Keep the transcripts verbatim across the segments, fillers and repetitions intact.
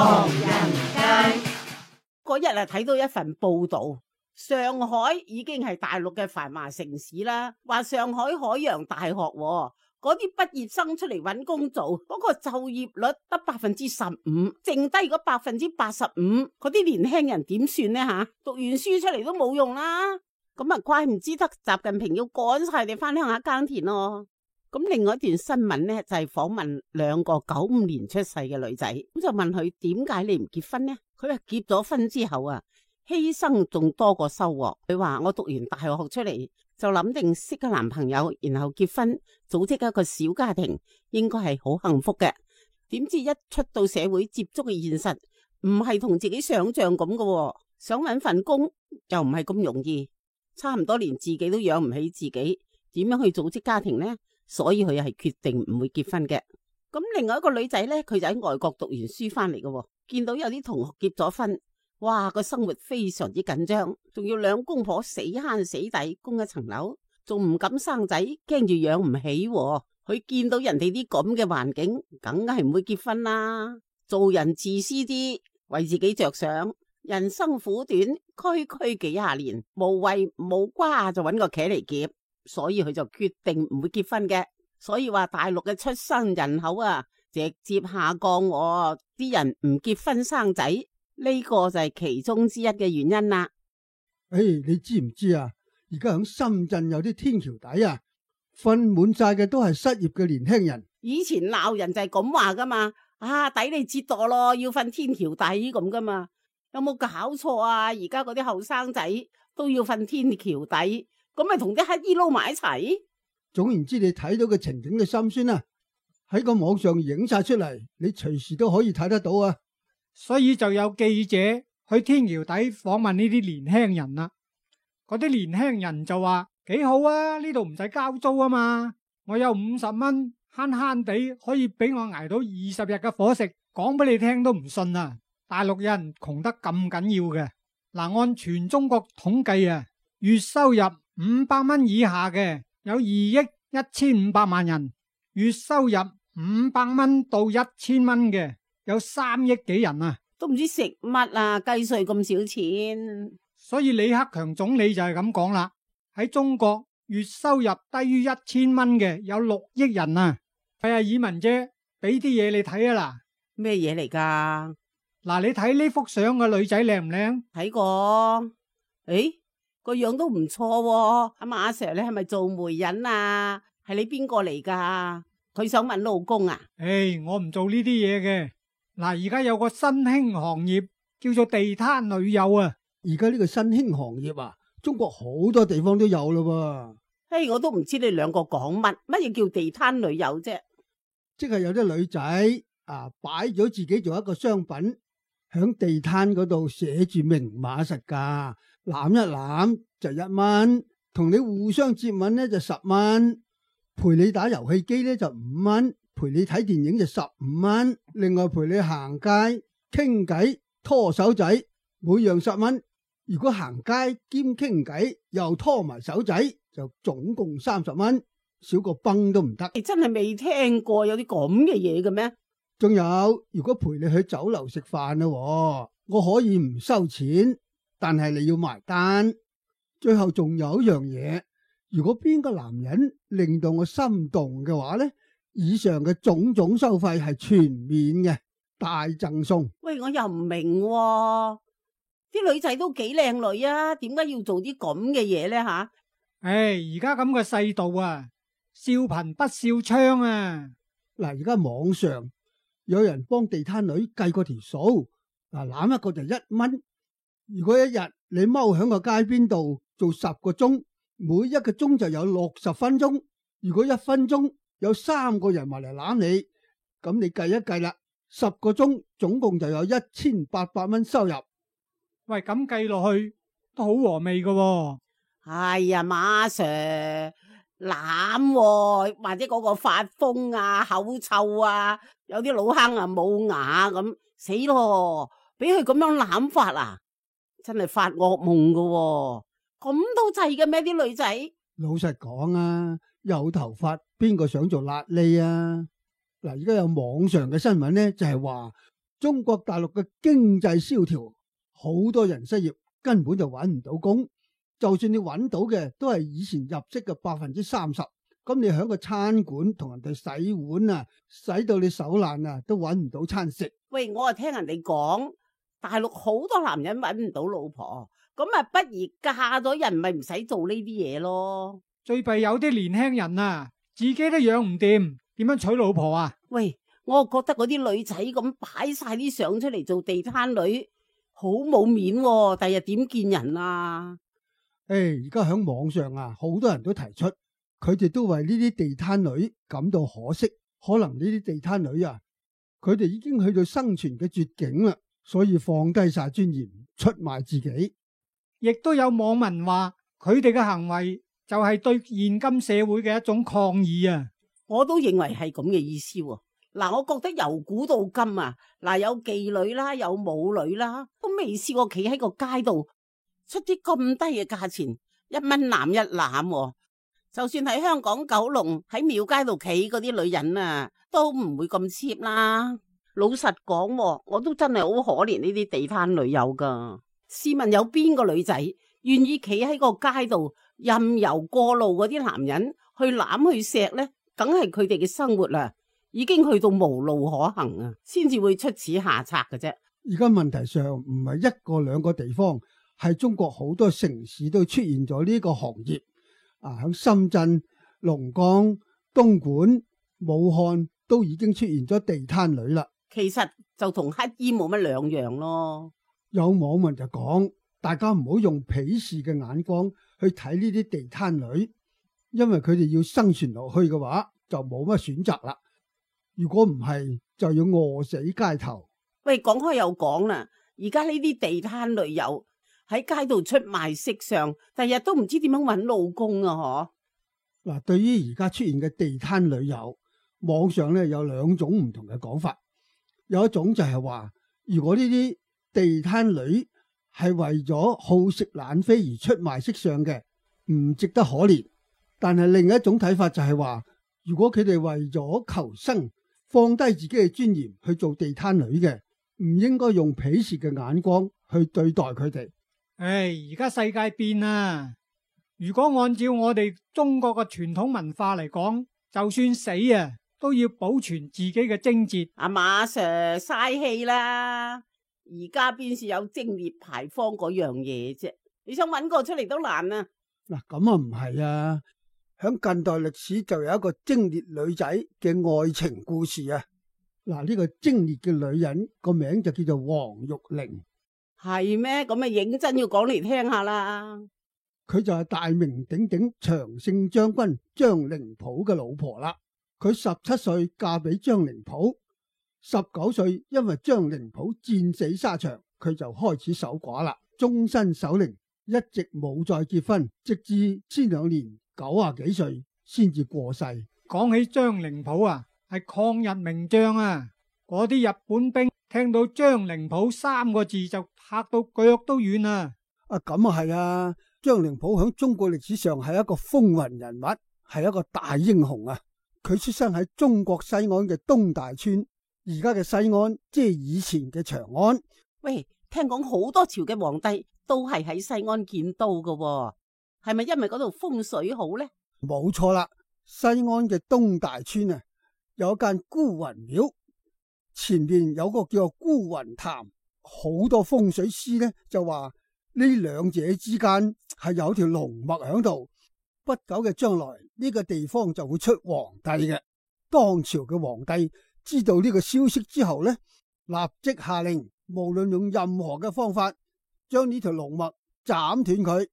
唐人街。嗰日啊，睇到一份報道，上海已經係大陸嘅繁華城市啦。話上海海洋大學嗰啲畢業生出嚟揾工做，嗰個就業率得百分之十五，剩低嗰百分之八十五，嗰啲年輕人點算呢？吓，讀完書出嚟都冇用啦。咁啊，怪唔知得習近平要趕晒你翻鄉下耕田咯。咁另外一段新聞呢，就係訪問兩個九五年出世嘅女仔，咁就問佢點解你唔結婚呢？佢話結咗婚之後啊，犧牲仲多過收穫。佢話我讀完大學出嚟就諗定識個男朋友，然後結婚，組織一個小家庭，應該係好幸福嘅。點知一出到社會接觸嘅現實，唔係同自己想象咁嘅，想搵份工又唔係咁容易，差唔多連自己都養唔起自己，點樣去組織家庭呢？所以佢係決定唔會結婚嘅。咁另外一個女仔呢，佢就喺外國讀完書翻嚟嘅，見到有啲同學結咗婚，哇，個生活非常之緊張，仲要兩公婆死慳死抵供一層樓，仲唔敢生仔，驚住養唔起。佢見到人哋啲咁嘅環境，梗係唔會結婚啦。做人自私啲，為自己着想，人生苦短，區區幾廿年，無謂無瓜就揾個茄嚟夾。所以佢就決定唔會結婚嘅。所以話大陸嘅出生人口啊，直接下降，啲人唔結婚生仔，呢個就係其中之一嘅原因啦。誒，你知唔知啊？而家響深圳有啲天橋底啊，瞓滿晒嘅都係失業嘅年輕人。以前鬧人就係咁話噶嘛，啊抵你折墮咯，要瞓天橋底咁噶嘛，有冇搞錯啊？而家嗰啲後生仔都要瞓天橋底。咁咪同啲乞衣撈埋一齊。總言之，你睇到嘅情景嘅心酸啊，喺個網上影晒出嚟，你隨時都可以睇得到啊。所以就有記者去天橋底訪問呢啲年輕人啦。嗰啲年輕人就話幾好啊，呢度唔使交租啊嘛，我有五十蚊，慳慳地可以俾我捱到二十日嘅伙食。講俾你聽都唔信啊！大陸人窮得咁緊要嘅。嗱，按全中國統計啊，月收入五百蚊以下嘅有二億一千五百萬人，月收入五百蚊到一千蚊嘅有三億幾人啊，都唔知食乜啊，計稅咁少錢。所以李克強總理就係咁講啦，喺中國月收入低於一千蚊嘅有六億人啊。係啊，以文姐俾啲嘢你睇啊。嗱，咩嘢嚟噶？嗱，你睇呢幅相嘅女仔靚唔靚？睇過，誒。個樣都唔錯喎。阿馬 Sir，你係咪做媒人啊？係你邊個嚟噶？佢想問老公啊？誒，我唔做呢啲嘢嘅。嗱，而家有個新興行業叫做地攤女友啊。而家呢個新興行業啊，中國好多地方都有咯噃。誒，我都唔知你兩個講乜，乜嘢叫地攤女友啫？即係有啲女仔啊，擺咗自己做一個商品，響地攤嗰度寫住明碼實價。攬一攬就一蚊，同你互相接吻咧就十蚊，陪你打遊戲機咧就五蚊，陪你睇電影就十五蚊，另外陪你行街傾偈拖手仔，每樣十蚊。如果行街兼傾偈又拖埋手仔，就總共三十蚊，少個崩都唔得。你真係未聽過有啲咁嘅嘢嘅咩？仲有，如果陪你去酒樓食飯啦，我可以唔收錢。但係你要埋單，最後仲有一樣嘢，如果邊個男人令到我心動嘅話呢，以上嘅種種收費係全免嘅，大贈送。喂，我又唔明喎，啲女仔都幾靚女啊，點解要做啲咁嘅嘢呢？吓？誒，而家咁嘅世道啊，笑貧不笑娼啊。嗱，而家網上有人幫地攤女計過條數，嗱，攬一個就一蚊。如果一日你踎喺個街邊度做十個鐘，每一個鐘就有六十分鐘。如果一分鐘有三個人埋嚟攬你，咁你計一計啦，十個鐘總共就有一千八百蚊收入。喂，咁計落去都好和味噶喎。哎呀，馬 Sir 攬喎，或者嗰個發瘋啊、口臭啊，有啲老坑啊冇牙咁，死咯！俾佢咁樣攬法啊！真係發噩夢噶喎，咁都制嘅咩？啲女仔老實講啊，有頭髮邊個想做瘌痢啊？嗱，而家有網上嘅新聞咧，就係話中國大陸嘅經濟蕭條，好多人失業，根本就揾唔到工。就算你揾到嘅，都係以前入息嘅百分之三十。咁你喺個餐館同人哋洗碗啊，洗到你手爛啊，都揾唔到餐食。喂，我啊聽人哋講，大陸好多男人揾唔到老婆，咁啊不如嫁咗人，咪唔使做呢啲嘢咯。最弊有啲年輕人啊，自己都養唔掂，點樣娶老婆啊？喂，我覺得嗰啲女仔咁擺晒啲相出嚟做地攤女，好冇面喎，第日點見人啊？誒，而家喺網上啊，好多人都提出，佢哋都為呢啲地攤女感到可惜。可能呢啲地攤女啊，佢哋已經去到生存嘅絕境啦，所以放低晒尊嚴，出賣自己。亦都有網民話，佢哋嘅行為就係對現今社會嘅一種抗議啊！我都認為係咁嘅意思喎。嗱，我覺得由古到今啊，嗱，有妓女啦，有舞女啦，都未試過企喺個街度出啲咁低嘅價錢，一蚊攬一攬喎。就算喺香港九龍喺廟街度企嗰啲女人啊，都唔會咁 cheap 啦。老實講喎，我都真係好可憐呢啲地攤女友噶。試問有邊個女仔願意企喺個街度任由過路嗰啲男人去攬去錫呢？梗係佢哋嘅生活啊，已經去到無路可行啊，先至會出此下策嘅啫。而家問題上唔係一個兩個地方，係中國好多城市都出現咗呢個行業。啊，喺深圳、龍崗、東莞、武漢都已經出現咗地攤女啦。其實就同乞衣冇乜兩樣咯。有網民就講，大家唔好用鄙視嘅眼光去睇呢啲地攤女，因為佢哋要生存落去嘅話，就冇乜選擇啦。如果唔係，就要餓死街頭。喂，講開又講啦，而家呢啲地攤女友喺街度出賣色相，第日都唔知點樣搵老公啊！嗬。嗱，對於而家出現嘅地攤女友，網上咧有兩種唔同嘅講法。有一種就係話，如果呢啲地攤女係為咗好食懶飛而出賣色相嘅，唔值得可憐。但係另一種睇法就係話，如果佢哋為咗求生，放低自己嘅尊嚴去做地攤女嘅，唔應該用鄙視嘅眼光去對待佢哋。唉，而家世界變啦！如果按照我哋中國嘅傳統文化嚟講，就算死啊，都要保存自己嘅貞節。阿馬 Sir 嘥氣啦！而家邊是有貞烈牌坊嗰樣嘢啫？你想搵個出嚟都難啊！嗱，咁啊唔係啊，響近代歷史就有一個貞烈女仔嘅愛情故事啊。嗱，呢個貞烈嘅女人個名就叫做黃玉玲。係咩？咁啊認真要講嚟聽下啦。佢就係大名鼎鼎長勝將軍張靈甫嘅老婆啦。佢十七歲嫁俾張靈甫，十九歲因為張靈甫戰死沙場，佢就開始守寡啦，終身守靈，一直冇再結婚，直至先兩年九啊幾歲先至過世。講起張靈甫啊，係抗日名將啊，嗰啲日本兵聽到張靈甫三個字就嚇到腳都軟啊！啊，咁啊係啊，張靈甫響中國歷史上係一個風雲人物，係一個大英雄啊！佢出生喺中國西安嘅東大村，而家嘅西安即係以前嘅長安。喂，聽講好多朝嘅皇帝都係喺西安建都噶喎，係咪因為嗰度風水好呢？冇錯啦，西安嘅東大村啊，有一間孤雲廟，前邊有個叫做孤雲潭，好多風水師呢就話呢兩者之間係有條龍脈喺度。不久嘅將來呢個地方就會出皇帝嘅。當朝嘅皇帝知道呢個消息之後呢，立即下令，無論用任何嘅方法將呢條龍脈斬斷佢。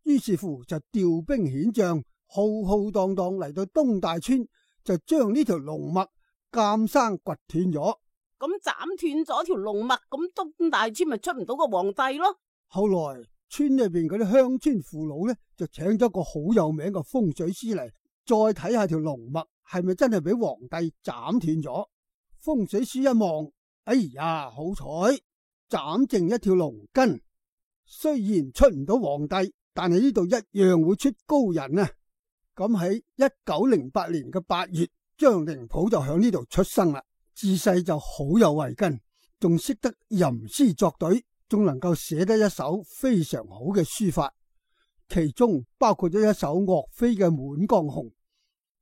於是乎就調兵遣將，浩浩蕩蕩嚟到東大村，就將呢條龍脈監生掘斷咗。咁斬斷咗條龍脈，咁東大村咪出唔到個皇帝咯？後來村裏邊嗰啲鄉村父老咧，就請咗個好有名嘅風水師嚟，再睇下條龍脈係咪真係俾皇帝斬斷咗。風水師一望，哎呀，好彩斬剩一條龍根，雖然出唔到皇帝，但係呢度一樣會出高人啊！咁喺一九零八年嘅八月，張靈甫就響呢度出生啦。自細就好有慧根，仲識得吟詩作對，仲能夠寫得一手非常好嘅書法，其中包括咗一首岳飛嘅《滿江紅》，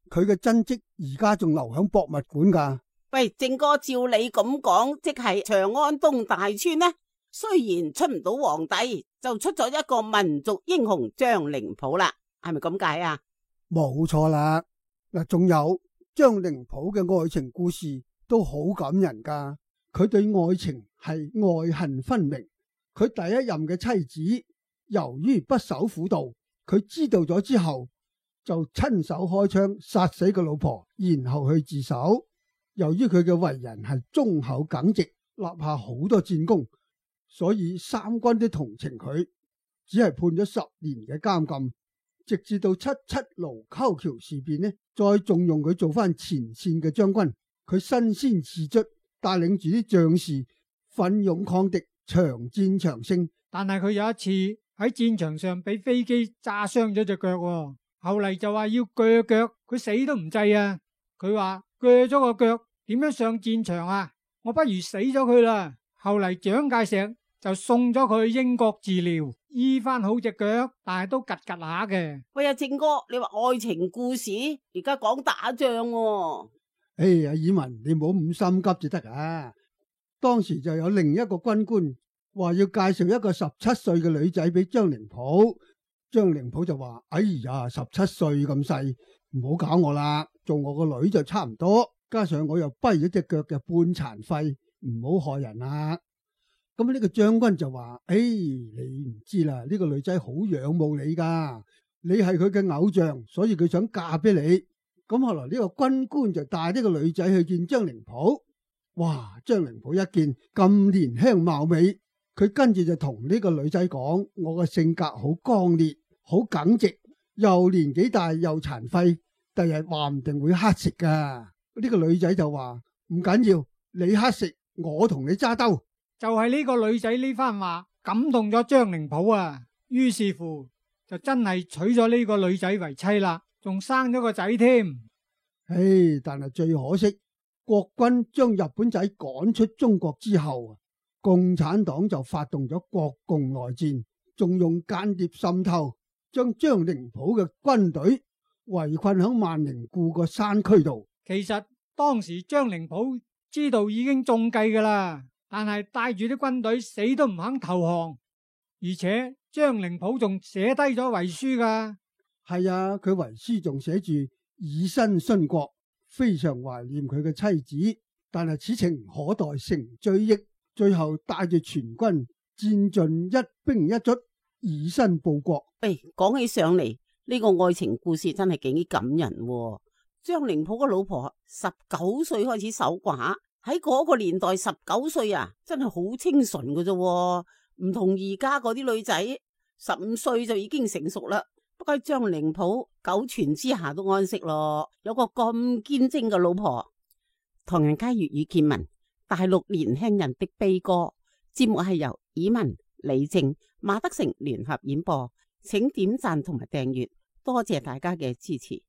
佢嘅真迹而家仲留響博物館噶。喂，正哥，照你咁講，即係長安東大村呢，雖然出唔到皇帝，就出咗一個民族英雄張靈甫啦，係咪咁解啊？冇錯啦，嗱，仲有張靈甫嘅愛情故事都好感人噶。佢對愛情係愛恨分明，佢第一任嘅妻子由於不守婦道，佢知道咗之後就親手開槍殺死個老婆，然後去自首。由於佢嘅為人係忠厚耿直，立下好多戰功，所以三軍都同情佢，只係判咗十年嘅監禁。直至到七七盧溝橋事變呢，再重用佢做翻前線嘅將軍，佢身先士卒，帶領住啲將士奮勇抗敵，長戰長勝。但係佢有一次喺戰場上俾飛機炸傷咗隻腳，後嚟就話要鋸腳，佢死都唔制啊！佢話鋸咗個腳點樣上戰場啊？我不如死咗佢啦！後嚟蔣介石就送咗佢去英國治療，醫翻好隻腳，但係都拮拮下嘅。喂，阿正哥，你話愛情故事，而家講打仗喎。哎呀，爾文，你唔好咁心急就得啊！當時就有另一個軍官話要介紹一個十七歲嘅女仔俾張靈甫，張靈甫就話：哎呀，十七歲咁細，唔好搞我啦，做我個女就差唔多。加上我又跛咗隻腳嘅半殘廢，唔好害人啦。咁呢個將軍就話：誒、哎，你唔知啦，呢、這個女仔好仰慕你噶，你係佢嘅偶像，所以佢想嫁俾你。咁後來呢個軍官就帶呢個女仔去見張靈甫。哇！張靈甫一見咁年輕貌美，佢跟住就同呢個女仔講：我嘅性格好剛烈，好耿直，又年紀大又殘廢，第日話唔定會乞食噶。呢個女仔就話：唔緊要，你乞食，我同你揸兜。就係呢個女仔呢番話感動咗張靈甫啊，於是乎就真係娶咗呢個女仔為妻啦，仲生咗個仔添。唉，但係最可惜，國軍將日本仔趕出中國之後，共產黨就發動咗國共內戰，仲用間諜滲透，將張靈甫嘅軍隊圍困喺萬寧固個山區度。其實當時張靈甫知道已經中計噶啦，但係帶住啲軍隊死都唔肯投降，而且張靈甫仲寫低咗遺書噶。係啊，佢遺書仲寫住以身殉國，非常懷念佢嘅妻子，但係此情可待成追憶，最後帶住全軍戰盡一兵一卒，以身報國。喂，講起上嚟呢個愛情故事真係幾感人喎。張靈甫個老婆十九歲開始守寡，喺嗰個年代十九歲啊，真係好清純㗎啫，唔同而家嗰啲女仔十五歲就已經成熟啦。不過張靈甫九泉之下都安息咯，有個咁堅貞嘅老婆。唐人街粵語見聞，大陸年輕人的悲歌，節目係由以文、李靜、馬德成聯合演播，請點讚同埋訂閱，多謝大家嘅支持。